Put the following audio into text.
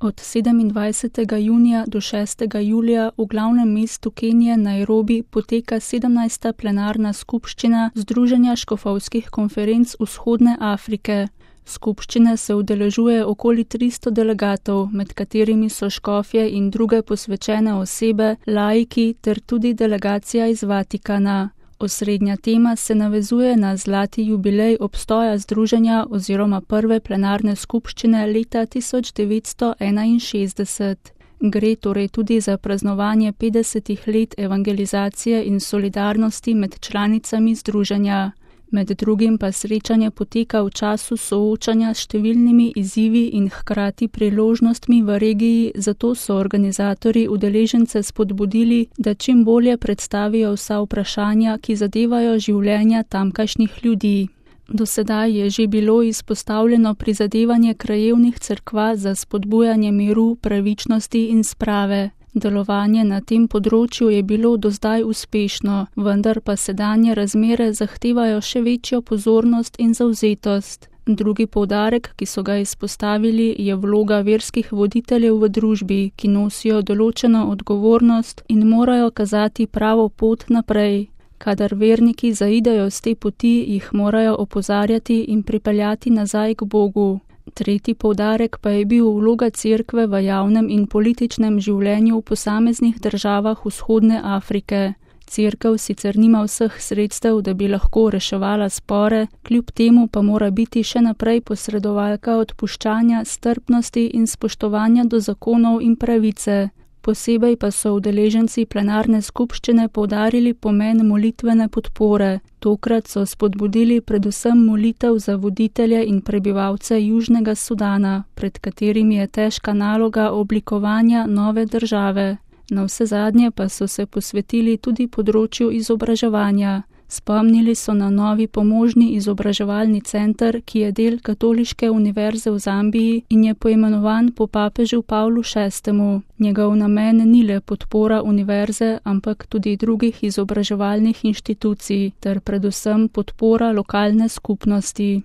Od 27. junija do 6. julija v glavnem mestu Kenije Nairobi poteka 17. plenarna skupščina Združenja škofovskih konferenc Vzhodne Afrike. Skupščine se udeležuje okoli 300 delegatov, med katerimi so škofje in druge posvečene osebe, laiki ter tudi delegacija iz Vatikana. Osrednja tema se navezuje na zlati jubilej obstoja združenja oziroma prve plenarne skupščine leta 1961. Gre torej tudi za praznovanje 50 let evangelizacije in solidarnosti med članicami združenja. Med drugim pa srečanje poteka v času soočanja s številnimi izzivi in hkrati priložnostmi v regiji, zato so organizatorji udeležence spodbudili, da čim bolje predstavijo vsa vprašanja, ki zadevajo življenja tamkajšnjih ljudi. Do sedaj je že bilo izpostavljeno prizadevanje krajevnih cerkva za spodbujanje miru, pravičnosti in sprave. Delovanje na tem področju je bilo do zdaj uspešno, vendar pa sedanje razmere zahtevajo še večjo pozornost in zavzetost. Drugi poudarek, ki so ga izpostavili, je vloga verskih voditeljev v družbi, ki nosijo določeno odgovornost in morajo kazati pravo pot naprej. Kadar verniki zaidejo s te poti, jih morajo opozarjati in pripeljati nazaj k Bogu. Tretji poudarek pa je bil vloga cerkve v javnem in političnem življenju v posameznih državah Vzhodne Afrike. Cerkev sicer nima vseh sredstev, da bi lahko reševala spore, kljub temu pa mora biti še naprej posredovalka odpuščanja, strpnosti in spoštovanja do zakonov in pravice. Posebej pa so udeleženci plenarne skupščine poudarili pomen molitvene podpore. Tokrat so spodbudili predvsem molitev za voditelje in prebivalce Južnega Sudana, pred katerimi je težka naloga oblikovanja nove države. Navsezadnje pa so se posvetili tudi področju izobraževanja. Spomnili so na novi pomožni izobraževalni center, ki je del Katoliške univerze v Zambiji in je poimenovan po papežu Pavlu VI. Njegov namen ni le podpora univerze, ampak tudi drugih izobraževalnih inštitucij ter predvsem podpora lokalne skupnosti.